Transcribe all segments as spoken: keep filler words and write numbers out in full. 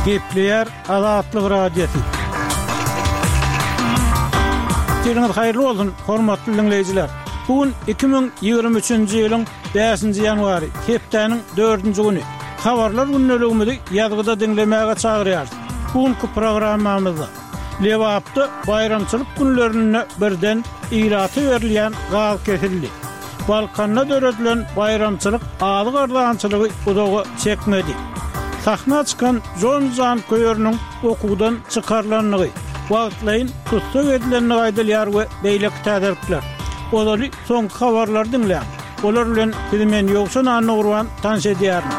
Gepleýär Azatlyk Radiosy. Seniňiz haýyrly bolsun, hormatly diňleýjiler. Bu gün iki müň ýigrimi üçünji ýylyň bäşinji ýanwary, hepdäniň dördünji güni. Habarlar gündeligimizi ýazgyda diňlemäge çagyrýarys. Bu günki programmamyzda Lebapda baýramçylyk günlerinde birden ilata berilýän gaz kesildi. Balkanda döredilen baýramçylyk azyk arzançylygy uzaga çekmedi. Sahna çykan Jon janköýeriniň okuwdan çykarylandygy, wagtlaýyn tussag edilendigi aýdylýar we beýleki täzelikler. Ozaly soňky habarlary diňläň. Olar bilen sizi men Ýowşan Annagurban tanyş edýärin.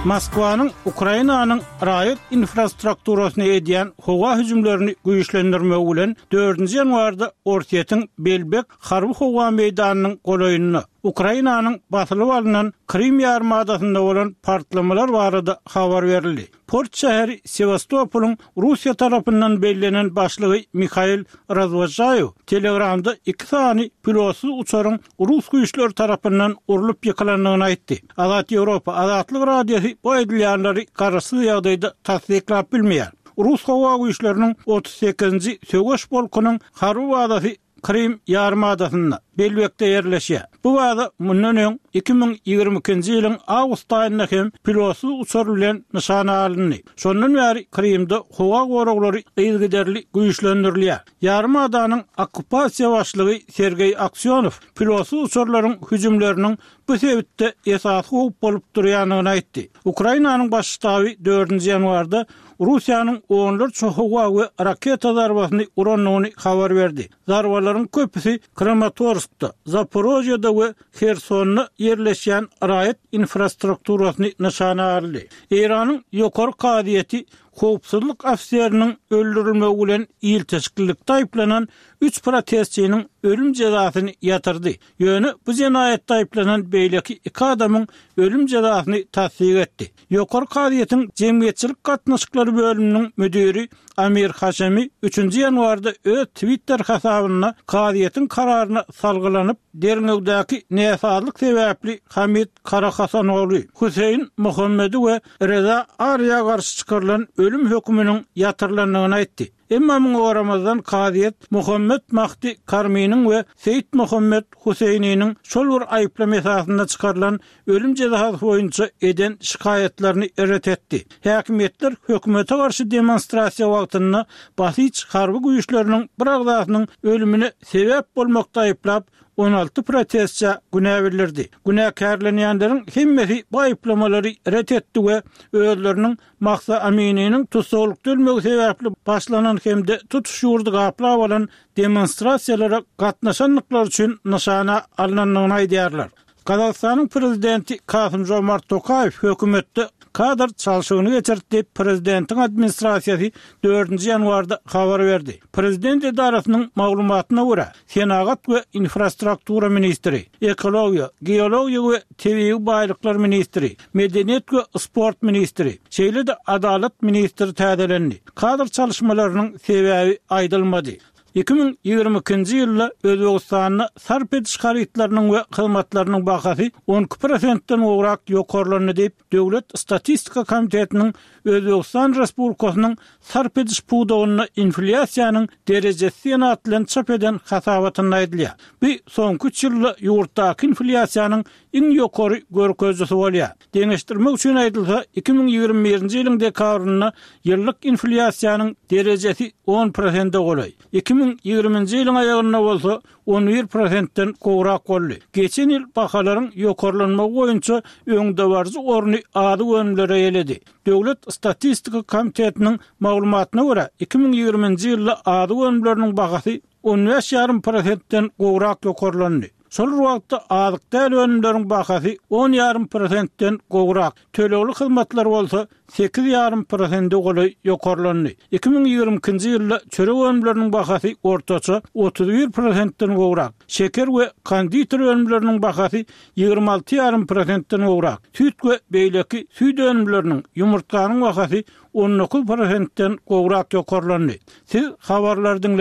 Moskwanyň Ukrainanyň raýat infrastrukturasyna edýän howa hüjümlerini güýçlendirmegi bilen dördünji ýanwarda Orsýetiň Belbek harby-howa meýdanynyň golaýynda Ukrainanyň basylyp alnan Krym ýarymadasynda bolan partlamalar barada habar berildi. Port şäheri Sewastopolyň Russiýa tarapyndan bellenen başlygy Mihail Razwožaýew Telegramda iki sany pilotsyz uçaryň rus güýçleri tarapyndan urlup ýykylandygyny aýtdy. Azat Ýewropa, Azatlyk Radiosy bu aýdylýanlary garaşsyz ýagdaýda tassyklap bilmeýär. Rus howa güýçleriniň otuz sekizinji söweş polkunyň harby bazasy Krym ýarymadasynda, Belbekde ýerleşýär. Bu baza mundan öň, iki müň ýigrimi ikinji ýylyň awgust aýynda hem pilotsyz uçar bilen nyşana alyndy. Şondan bäri Krymda howa goraglary yzygiderli güýçlendirilýär. Ýarymadanyň okkupasiýa başlygy Sergeý Aksýonow pilotsyz uçarlaryň hüjümleriniň bu sebitde esasy howp bolup durýandygyny aýtdy. Ukrainanyň Baş ştaby dördünji ýanwarda Russiýanyň onlarça howa we raketa zarbasyny urandygyny habar berdi. Zarbalaryň köpüsi Kramatorskda, Zaporožýede we Hersonda ýerleşýän raýat infrastrukturasyny nyşana aldy. Eýranyň Ýokary kazyýeti howpsuzlyk ofiseriniň öldürilmegi bilen ilteşiklilikde aýyplanan üç protestçiniň ölüm jezasyny ýatyrdy. Ýöne bu jenaýatda aýyplanan beýleki iki adamyň ölüm jezasyny tassyk etdi. Ýokary kazyýetiň jemgyýetçilik gatnaşyklary bölüminiň müdiri Amir Haşemi üçünji ýanwarda öz Twitter hasabynda kazyýetiň kararyna salgylanyp, derňewdäki näsazlyk sebäpli Hamid Karahasanogly, Hüseýin Muhammedi we Reza Arýa garşy çykarylan ölüm höküminiň ýatyrylandygyny aýtdy. Emma muňa garamazdan kazyýet Muhammet Mahdi Karminiň we Seýit Muhammet Huseýniniň şol bir aýyplama esasynda çykarylan ölüm jezasy boýunça eden şikaýatlaryny ret etdi. Häkimiýetler hökümete garşy demonstrasiýa wagtynda Basij harby güýçleriniň bir agzasynyň ölümine sebäp bolmakda aýyplap, on alty protestçä günä bildirdi. Günäkärlenýänleriň hemmesi bu aýyplamalary ret etdi we özleriniň Mahsa Amininiň tussaglykda ölmegi sebäpli başlanan hem-de tutuş ýurdy gaplap alan demonstrasiýalara gatnaşandyklary üçin nyşana alnandygyny aýdýarlar. Gazagystanyň prezidenti Kasym-Žomart Tokaýew hökümetde kadr çalşygyny geçirdi diýip, prezidentiň administrasiýasy dördünji ýanwarda habar berdi. Prezident edarasynyň maglumatyna görä, senagat we infrastruktura ministri, ekologiýa, geologiýa we tebigy baýlyklar ministri, medeniýet we sport ministri, şeýle-de adalat ministri täzelendi. Kadr çalyşmalarynyň sebäbi aýdylmady. Iki müň ýigrimi ikinji ýylda Özbegistanda sarp ediş harytlarynyň we hyzmatlarynyň bahasy on iki prosentden gowrak ýokarlandy diýip, Döwlet statistika komitetiniň Özbegistan Respublikasynyň sarp ediş pudagynda inflýasiýanyň derejesi diýen at bilen çap eden hasabatynda aýdylýar. Bu soňky üç ýylda ýurtdaky inflýasiýanyň iň ýokary görkezijisi bolýar. Deňeşdirmek üçin aýdylsa, iki müň ýigrimi birinji ýylyň dekabrynda ýyllyk inflýasiýanyň derejesi on prosente golaý, iki müň ýigriminji ýylyň aýagynda bolsa on bir prosentden gowrak boldy. Geçen ýyl bahalaryň ýokarlanmagy boýunça öňdebaryjy orny azyk önümleri eýeledi. Döwlet statistika komitetiniň maglumatyna görä, iki müň ýigriminji ýylda azyk önümleriniň bahasy on bäş ýarym prosentden gowrak ýokarlandy. Şol bir wagtda azyk däl önümleriň bahasy on ýarym prosentden gowrak, tölegli hyzmatlar bolsa sekiz ýarym prosente golaý ýokarlandy. Iki müň ýigrimi ikinji ýylda çörek önümleriniň bahasy ortaça otuz bir prosentden gowrak, şeker we konditer önümleriniň bahasy ýigrimi alty ýarym prosentden gowrak, süýt we beýleki süýt önümleriniň, ýumurtganyň bahasy on dokuz prosentden gowrak ýokarlandy. Siz habarlary diňle.